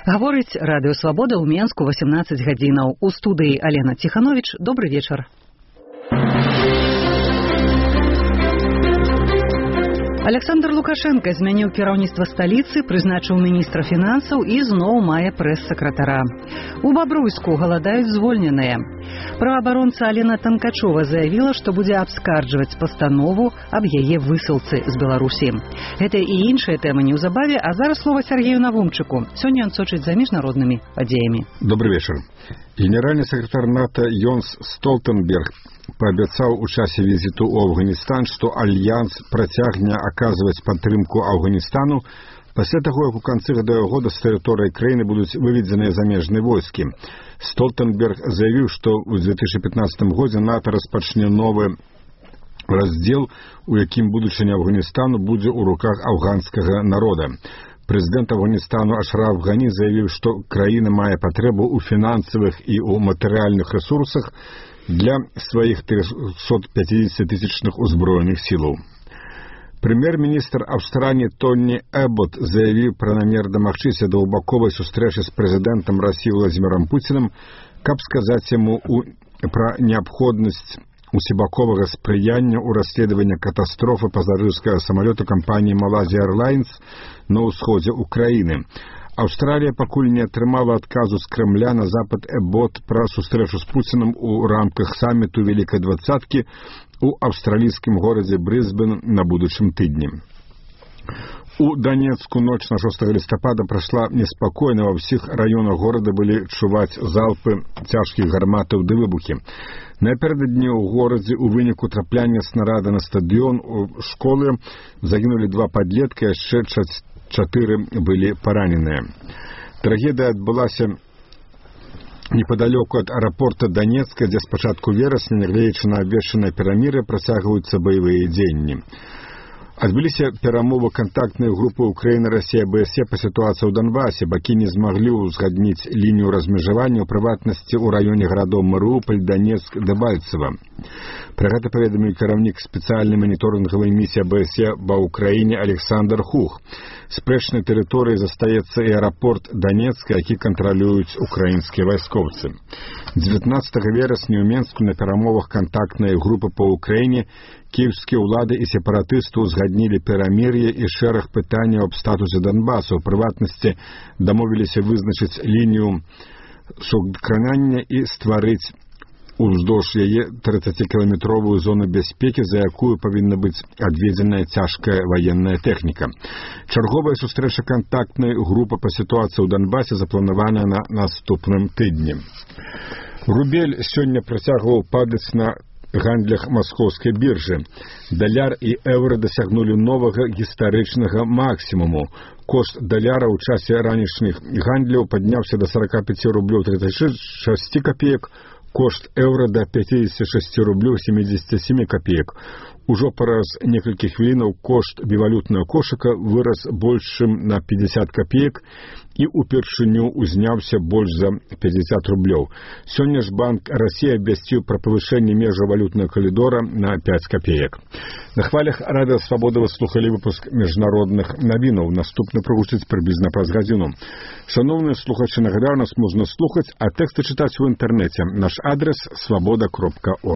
Гаворыць Радыё Свабода ў Менску 18 гадзінаў. У студыі Алена Ціхановіч. Добры вечар. Александр Лукашенко змяніў кіраўніцтва сталіцы, прызначыў міністра фінансаў і зноў мае прэс-сакратара. У Бабруйску галадаюць звольненыя. Праваабаронца Алена Танкачова заявіла, што будзе абскарджваць пастанову аб яе высылцы з Беларусі. Гэта і іншыя тэмы неўзабаве, а зараз слова Сергею Навумчыку. Сёння ён сочыць за міжнароднымі падзеямі. Добрый вечер. Генеральный секретарь НАТО Йонс Столтенберг пообещал у часе визиту в Афганистан, что Альянс протягне оказывать поддержку Афганистану после того, как у конца года с территории краины будут выведены замежные войски. Столтенберг заявил, что в 2015 году НАТО распочне новый раздел, у яким будущее Афганистану будет у руках афганского народа. Президент Афганистану Ашраф Гани заявил, что краина мае потребу у финансовых и у материальных ресурсах для своих 350-тысячных узброенных сил. Премьер-министр Австралии Тони Эббот заявил про намер домагчыся двухбаковой сустрэчы с президентом России Владимиром Путиным, каб сказать ему про необходимость усебаковага спрыяння ў расследаванні катастрофы пасажырскага самалёта кампаніі Malaysia Airlines на ўсходзе ўкраіны. Аўстралія пакуль не атрымала адказу з Кремля на запад Эббот пра сустрэчу з Пуціным у рамках саміту Вялікай двадцаткі у аўстралійскім горадзе Брысбен на будучым тыдні. У Донецку ночь на 6 листопада прошла неспокойно. Во всех районах города были чуваць залпы цяжкіх гарматаў ды выбухі. Напярэдадні ў горадзе у выніку трапляння снарада на стадыён у школы загінулі 2 падлетка, яшчэ 4 былі параненыя. Трагедыя адбылася неподалеку от аэропорта Донецка, дзе з пачатку верасня, нягледзячы на абвешчаныя пераміры, працягваюцца баявыя дзеянні. Адбыліся перамовы кантактнай групы Украіны, Расія, БСЕ па сітуацыі ў Донбасе. Бакі не змаглі ўзгадніць лінію размежавання, у прыватнасці ў раёне гарадоў Марыуполь, Донецк, Дебальцева. Пра гэта паведаміў кіраўнік спецыяльнай маніторынгавай місіі БСЕ ва ўкраіне Александр Хух. Спрэчнай тэрыторыяй застаецца і аэрапорт Донецка, які кантралююць украінскія вайскоўцы. 19 верасня ў Менску на перамовах кантактнай групы па Украіне кіеўскія ўлады і сепаратысты узгаднілі перамір'е і шэраг пытанняў аб статусе Донбасу. У прыватнасці дамовіліся вызначыць лінію сукранання і стварыць уздоўж яе 30-кіламетровую зону бяспекі, за якую павінна быць адведзеная цяжкая ваенная тэхніка. Чарговая сустрэча кантактнай групы па сітуацыі ў Донбасе запланаваная на наступным тыдні. Рубель сёння працягваў падаць на гандлях маскоўскай біржы. Даляр і еўра дасягнулі новага гістарычнага максімуму. Кошт даляра ў часе ранішніх гандляў падняўся да 45 рублёў 36 копеек, кошт еўра да 56 рублёў 77 копеек. Ужо праз некалькі хвілінаў кошт бівалютнага кошыка вырас больш чым на 50 копеек і упершыню узняўся больш за 50 рублёў. Сёння ж Банк Расіі абвясціў пра павышэнне межаў валютнага калідора на 5 копеек. На хвалях Радыё Свабода вы слухалі выпуск міжнародных навінаў. Наступны прагучыць прыблізна праз гадзіну. Шановныя слухачы, нагадаю, нас можна слухаць, а тэксты чытаць у інтэрнэце. Наш адрес свабода.орг.